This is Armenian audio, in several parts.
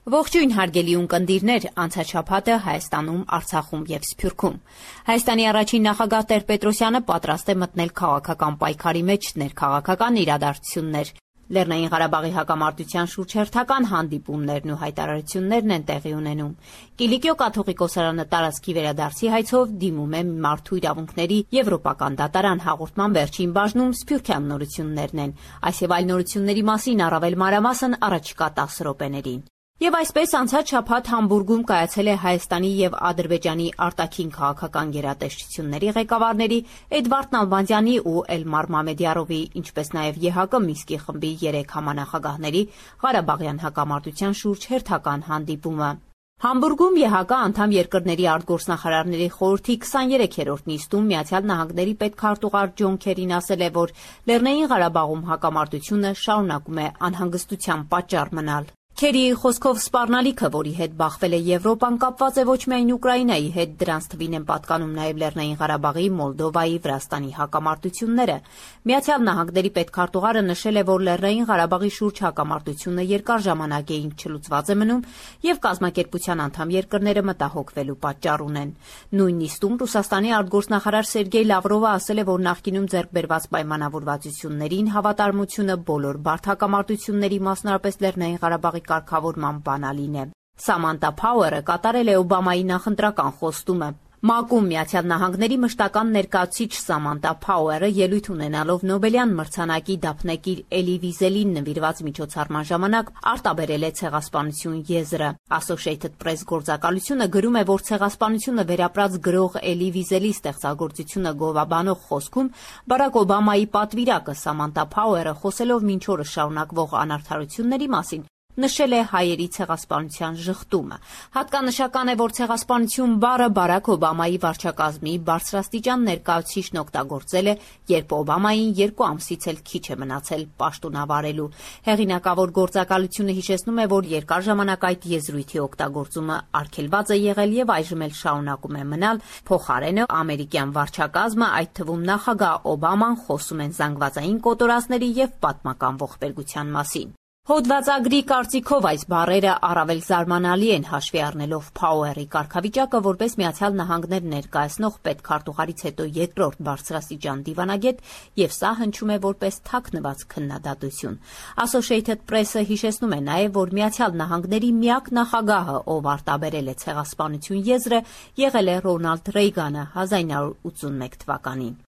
Ողջույն հարգելի ունկնդիրներ, անցած շաբաթը Հայաստանում, Արցախում եւ Սփյուռքում։ Հայաստանի առաջին նախագահ Տեր-Պետրոսյանը պատրաստ է մտնել քաղաքական պայքարի մեջ ներքաղաքական իրադարձություններ։ Լեռնային Ղարաբաղի հակամարտության շուրջ հերթական հանդիպումներն ու հայտարարություններն են տեղի ունենում։ Կիլիկիո կաթողիկոսարանը տարածքի վերադարձի հայցով դիմում է մարդու իրավունքների եվրոպական դատարան հաղորդման վերջին բաժնում սփյուռքյան նորություններն են։ Այս եւ այլ նորությունների մասին առավել մանրամասն առաջիկա 10 րոպեներին։ Եվ այսպես անցած շաբաթ Համբուրգում կայացել է Հայաստանի եւ Ադրբեջանի արտաքին քաղաքական գերատեսչությունների ղեկավարների Էդվարդ Նալբանդյանի ու Էլմար Մամեդյարովի, ինչպես նաեւ ԵՀԿ Մինսկի խմբի 3 համանախագահների Ղարաբաղյան հակամարտության շուրջ հերթական հանդիպումը։ Համբուրգում ԵՀԿ անդամ երկրների արտգործնախարարների խորհրդի 23-րդ նիստում Միացյալ Նահանգների պետքարտուղար Ջոն Քերին ասել է, որ Լեռնային Ղարաբաղում հակամարտությունը շարունակում է անհանգստության պատճառ մնալ։ Քերիի խոսքով սպառնալիքը, որի հետ բախվել է Եվրոպան, կապված է ոչ միայն Ուկրաինայի հետ, դրանց թվին են պատկանում նաև Լեռնային Ղարաբաղի, Մոլդովայի, Վրաստանի հակամարտությունները։ Միացյալ Նահանգների պետքարտուղարը նշել է, որ Լեռնային Ղարաբաղի շուրջ հակամարտությունը երկար ժամանակ է չլուծված է մնում եւ կազմակերպության անդամ երկրները մտահոգվելու պատճառ ունեն։ Նույն նիստում Ռուսաստանի արտգործնախարար Սերգեյ Լավրովը ասել է, որ նախկինում ձեռք բերված պայմանավորվածություններին հավատարմությունը բոլոր բարդ հակամարտությունների, մասնարարպես Լեռնային Ղարաբաղի կարգավորման բանալին է։ Սամանթա Փաուերը կատարել է Օբամայի նախընտրական խոստումը։ ՄԱԿ-ում Միացյալ Նահանգների մշտական ներկայացուցիչ Սամանթա Փաուերը ելույթ ունենալով Նոբելյան մրցանակի դափնեկիր Էլի Վիզելին նվիրված միջոցառման ժամանակ արտաբերել է ցեղասպանություն եզրը։ Associated Press գործակալությունը գրում է, որ ցեղասպանությունը վերապրած գրող Էլի Վիզելի ստեղծագործությունը գովաբանող խոսքում Բարակ Օբամայի պատվիրակը Սամանթա Փաուերը խոսելով մինչ օրս շարունակվող անարդարությունների մասին նշել է հայերի ցեղասպանության ժխտումը։ Հատկանշական է, որ ցեղասպանություն բառը Բարակ Օբամայի վարչակազմի բարձրաստիճան ներկայացուցիչն օգտագործել է, երբ Օբամային 2 ամսից էլ քիչ է մնացել պաշտոնավարելու։ Հեղինակավոր գործակալությունը հիշեցնում է, որ երկար ժամանակ այդ եզրույթի օգտագործումը արգելված է եղել եւ այժմ էլ շարունակում է մնալ։ Փոխարենը ամերիկյան վարչակազմը, այդ թվում նախագահ Օբաման, խոսում են զանգվածային կոտորածների եւ պատմական ողբերգության մասին։ Հոդվածագրի կարծիքով այս բառերը առավել զարմանալի են հաշվի առնելով Փաուերի կարգավիճակը որպես Միացյալ Նահանգներ ներկայացնող պետքարտուղարից հետո երկրորդ բարձրաստիճան դիվանագետ եւ սա հնչում է որպես թաքնված քննադատություն։ Associated Press-ը հիշեցնում է նաեւ, որ Միացյալ Նահանգների միակ նախագահը, ով արտաբերել է ցեղասպանություն եզրը, եղել է Ռոնալդ Ռեյգանը 1981 թվականին։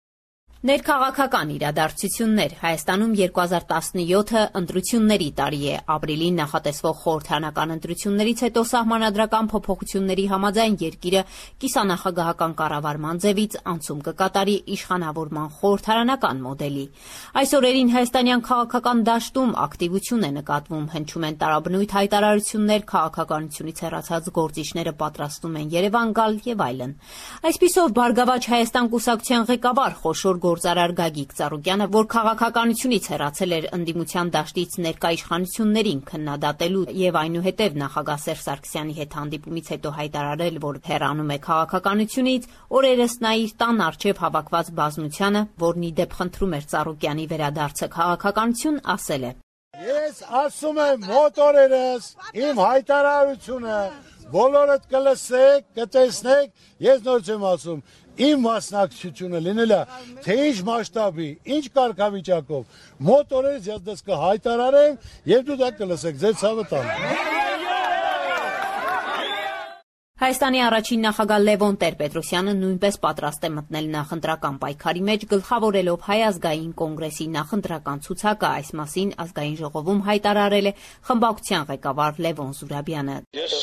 Ներքաղաքական իրադարձություններ Հայաստանում 2017-ը ընտրությունների տարի է։ Ապրիլին նախատեսվող խորհրդարանական ընտրություններից հետո սահմանադրական փոփոխությունների համաձայն երկիրը կիսանախագահական կառավարման ձևից անցում կկատարի իշխանավորման խորհրդարանական մոդելի։ Այս օրերին հայաստանյան քաղաքական դաշտում ակտիվություն է նկատվում, հնչում են տարաբնույթ հայտարարություններ, քաղաքականությունից հեռացած գործիչները պատրաստվում են Երևան գալ եւ այլն։ Այսպիսով Բարգավաճ Հայաստան կուսակցության ղեկավար խոշոր գործարար Գագիկ Ծառուկյանը, որ քաղաքականությունից հեռացել էր ընդդիմության դաշտից ներկա իշխանություններին քննադատելու եւ այնուհետեւ նախագահ Սերժ Սարգսյանի հետ հանդիպումից հետո հայտարարել, որ հեռանում է քաղաքականությունից, օրերս նա իր տան առջև հավաքված բազմությանը, որն ի դեպ խնդրում էր Ծառուկյանի վերադարձը քաղաքականություն, ասել է. Ես ասում եմ մոտ օրերս իմ հայտարարությունը բոլորդ կլսեք, կտեսնեք, ես նոր չեմ ասում, իմ մասնակցությունը լինել է թե ինչ մասշտաբի, ինչ կարգավիճակով, մոտ օրերս ես դες կհայտարարեմ եւ դու դա կլսեք, ձեր ցավը տանեմ։ Հայաստանի առաջին նախագահ Լևոն Տեր-Պետրոսյանը նույնպես պատրաստ է մտնել նախընտրական պայքարի մեջ, գլխավորելով Հայ ազգային կոնգրեսի նախընտրական ցուցակը, այս մասին ազգային ժողովում հայտարարել է խմբակցության ղեկավար Լևոն Զուրաբյանը։ Ես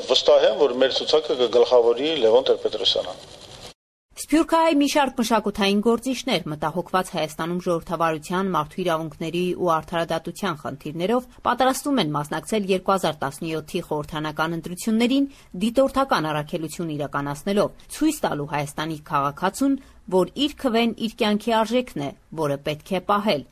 վստահ եմ, որ մեր ցուցակը կգլխավորի Լևոն Տեր-Պետրոսյանը։ Սփյուռքահայ մի շարք մշակութային գործիչներ մտահոգված Հայաստանում ժողովրդավարության, մարդու իրավունքների ու արդարադատության խնդիրներով պատրաստվում են մասնակցել 2017-ի խորհրդարանական ընտրություններին դիտորդական առաքելություն իրականացնելով, ցույց տալու Հայաստանի քաղաքացուն, որ իր քվեն իր կյանքի արժեքն է, որը պետք է պահել։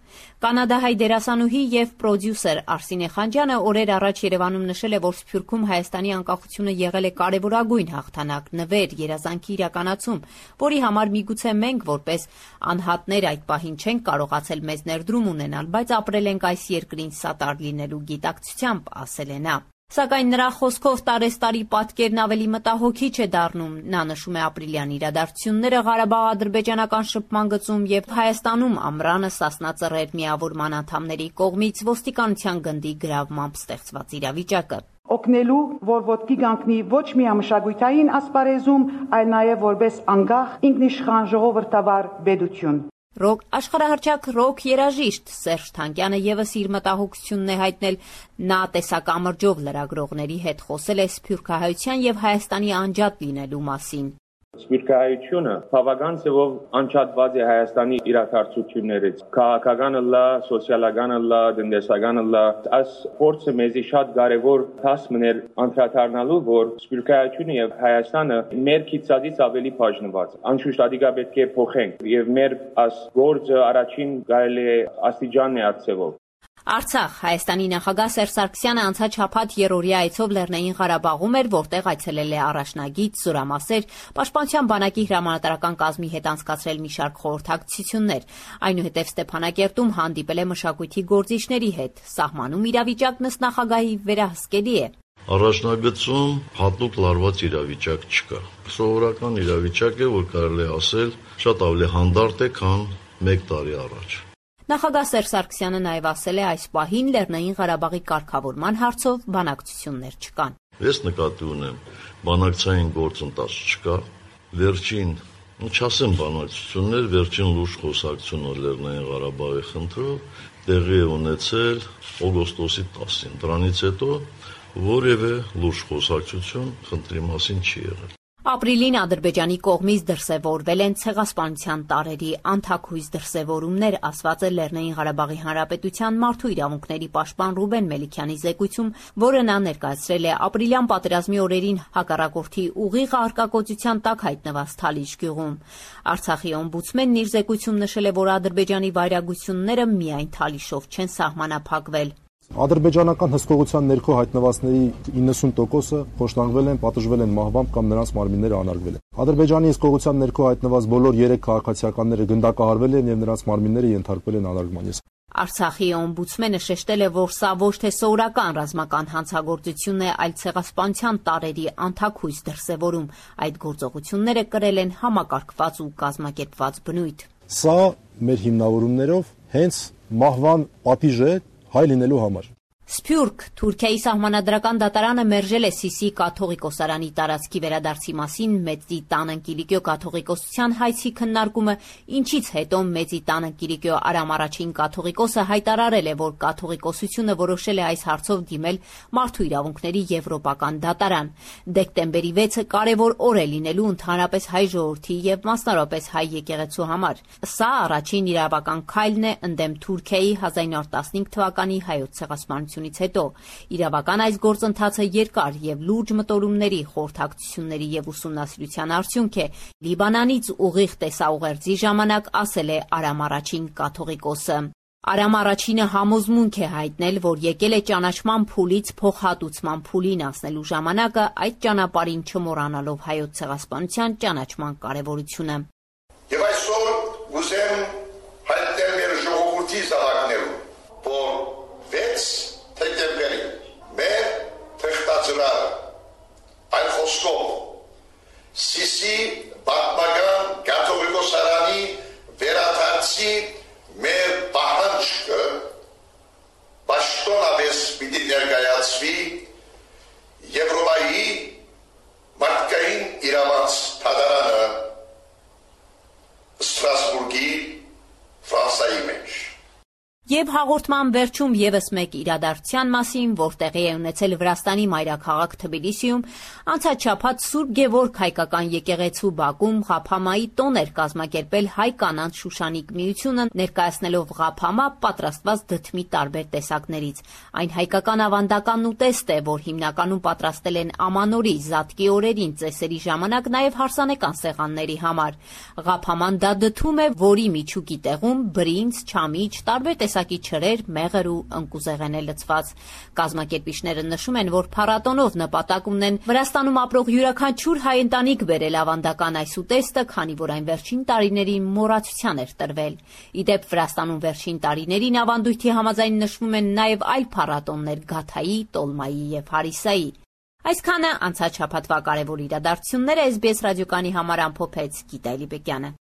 Կանադահայ դերասանուհի եւ պրոդյուսեր Արսինե Խանջյանը օրեր առաջ Երևանում նշել է, որ Սփյուռքում Հայաստանի անկախությունը եղել է կարևորագույն հաղթանակ, նվեր, երազանքի իրականացում, որի համար միգուցե մենք որպես անհատներ այդ պահին չենք կարողացել մեզ ներդրում ունենալ, բայց ապրել ենք այս երկրին սատար լինելու գիտակցությամբ, ասել է նա։ Սակայն նրա խոսքով տարեստարի պատկերն ավելի մտահոգիչ է դառնում։ Նա նշում է ապրիլյան իրադարձությունները Ղարաբաղ-ադրբեջանական շփման գծում եւ Հայաստանում ամռանը Սասնա Ծռեր միավորման անդամների կողմից ոստիկանության գնդի գրավմամբ ստեղծված իրավիճակը։ Օգնելու, որ ոտքի կանգնի ոչ միայն մշակութային ասպարեզում, այլ նաև որպես անկախ ինքնիշխան ժողովրդավար պետություն։ Աշխարհահռչակ ռոք երաժիշտ Սերժ Թանկյանը եւս իր մտահոգությունն է հայտնել։ Նա տեսակամրջով լրագրողների հետ խոսել է սփյուռքահայության եւ Հայաստանի անջատ լինելու մասին։ Սփյուռքահայությունը բավական ձևով անջատված է Հայաստանի իրադարձություններից։ Քաղաքականը լա, սոցիալականը լա, տնտեսականը լա։ Այս փորձը մեզի շատ կարևոր դաս մներ անդրադառնալու, որ սփյուռքահայությունը եւ Հայաստանը մեր քիծածից ավելի բաժնված։ Անշուշտ ադիգա պետք է փոխենք եւ մեր այս գործը առաջին կարելի է աստիճան է արձևով։ Արցախ Հայաստանի նախագահ Սերժ Սարգսյանը անցած շաբաթ երրորդյա այցով Լեռնային Ղարաբաղում էր, որտեղ այցելել է առաջնագիծ, զորամասեր, Պաշտպանության բանակի հրամանատարական կազմի հետ անցկացրել մի շարք խորհրդակցություններ։ Այնուհետև Ստեփանակերտում հանդիպել է մշակույթի գործիչների հետ։ Սահմանում իրավիճակն ըստ նախագահի վերահսկելի է։ Առաջնագծում հատուկ լարված իրավիճակ չկա։ Սովորական իրավիճակ է, որ կարելի է ասել, շատ ավելի հանդարտ է, քան 1 տարի առաջ։ Նախագահ Սերժ Սարգսյանը նաև ասել է, այս պահին Լեռնային Ղարաբաղի կարգավորման հարցով բանակցություններ չկան։ Ես նկատի ունեմ, բանակցային գործընթաց չկա, վերջին, չասեմ բանակցություններ, վերջին լուրջ խոսակցությունը Լեռնային Ղարաբաղի խնդրով տեղի է ունեցել օգոստոսի 10-ին, դրանից հետո որևէ լուրջ խոսակցություն խնդրի մասին չի եղել։ Ապրիլին Ադրբեջանի կողմից դրսևորվել են ցեղասպանության տարերի անթաքույց դրսևորումներ, ասված է Լեռնային Ղարաբաղի Հանրապետության մարդու իրավունքների պաշտպան Ռուբեն Մելիքյանի զեկույցում, որը նա ներկայացրել է ապրիլյան պատերազմի օրերին հակառակորդի ուղիղ արկակոծության տակ հայտնված Թալիշ գյուղում։ Արցախի օմբուդսմենն իր զեկույցում նշել է, որ Ադրբեջանի վայրագությունները միայն Թալիշով չեն սահմանափակվել։ Ադրբեջանական հսկողության ներքո հայտնվածների 90%-ը խոշտանգվել են, պատժվել են մահվամբ կամ նրանց մարմինները անարգվել են։ Ադրբեջանի հսկողության ներքո հայտնված բոլոր 3 քաղաքացիականները գնդակահարվել են եւ նրանց մարմինները ենթարկվել են անարգման։ Արցախի օմբուդսմենը շեշտել է, որ սա ոչ թե սովորական ռազմական հանցագործություն է, այլ ցեղասպանության տարերի անթաքույց դրսևորում։ Այդ գործողությունները կրել են համակարգված ու կազմակերպված բնույթ։ Սա մեր հիմնավորումներով հենց մահվան պատիժ է հայ լինելու համար։ Սփյուռք Թուրքիայի սահմանադրական դատարանը մերժել է Սիսի կաթողիկոսարանի տարածքի վերադարձի մասին Մեծի տան Կիլիկիո կաթողիկոսության հայցի քննարկումը, ինչից հետո Մեծի տան Կիլիկիո Արամ առաջին կաթողիկոսը հայտարարել է, որ կաթողիկոսությունը որոշել է այս հարցով դիմել Մարդու իրավունքների եվրոպական դատարան։ Դեկտեմբերի 6-ը կարևոր օր է լինելու ընդհանրապես հայ ժողովրդի եւ մասնավորապես հայ եկեղեցու համար։ Սա առաջին իրավական քայլն է ընդդեմ Թուրքիայի 1915 թվականի հայոց ցեղասպանության հետո իրավական այս գործընթացը երկար եւ լուրջ մտորումների, խորհրդակցությունների եւ ուսումնասիրության արդյունք է։ Լիբանանից ուղիղ տեսաուղերձի ժամանակ ասել է Արամ առաջին կաթողիկոսը։ Արամ առաջինը համոզմունք է հայտնել, որ եկել է ճանաչման փուլից փոխհատուցման փուլին անցնելու ժամանակը, այդ ճանապարհին չմոռանալով հայոց ցեղասպանության ճանաչման կարեւորությունը։ Եվ այսօր ուզեմ հայտնել մեր ժողովրդի զավակներուն, որ 6 դեկտեմբերին մեր թղթածրարը այն խոսքով Սիսի պատմական կաթողիկոսարանի վերադարձի մեր պահանջը պաշտոնապես պիտի ներկայացվի Եվրոպայի մարդկային իրավունք դատարանը Ստրասբուրգի Ֆրանսայի մեջ։ Եվ հաղորդման վերջում եւս մեկ իրադարձության մասին, որ տեղի է ունեցել Վրաստանի մայրաքաղաք Թբիլիսիում, անցած շաբաթ Սուրբ Գևորգ հայկական եկեղեցու բակում Ղափամայի տոն էր կազմակերպել հայ կանանց Շուշանիկ միությունը, ներկայացնելով Ղափամա պատրաստված դդմի տարբեր տեսակներից։ Այն հայկական ավանդական ուտեստ է, որ հիմնականում պատրաստել են ամանորի, զատկի օրերին, ծեսերի ժամանակ, նաեւ հարսանեկան սեղանների համար։ Ղափաման դա դդում է, որի միջուկի տեղում բրինձ, չամիչ, տարբեր տեսակի չրեր, մեղր ու ընկուզեղեն է լցված։ Կազմակերպիչները նշում են, որ փառատոնով նպատակ ունեն Վրաստանում ապրող յուրաքանչյուր հայ ընտանիք բերել ավանդական այս ուտեստը, քանի որ այն վերջին տարիներին մոռացության էր տրվել։ Ի դեպ, Վրաստանում վերջին տարիներին ավանդույթի համաձայն նշվում են նաև այլ փառատոններ՝ Գաթայի, Տոլմայի եւ Հարիսայի։ Այսքանը անցած շաբաթվա կարևոր իրադարձությունները SBS ռադիոկայանի համար ամփոփեց Գիտա Էլիբեկյանը։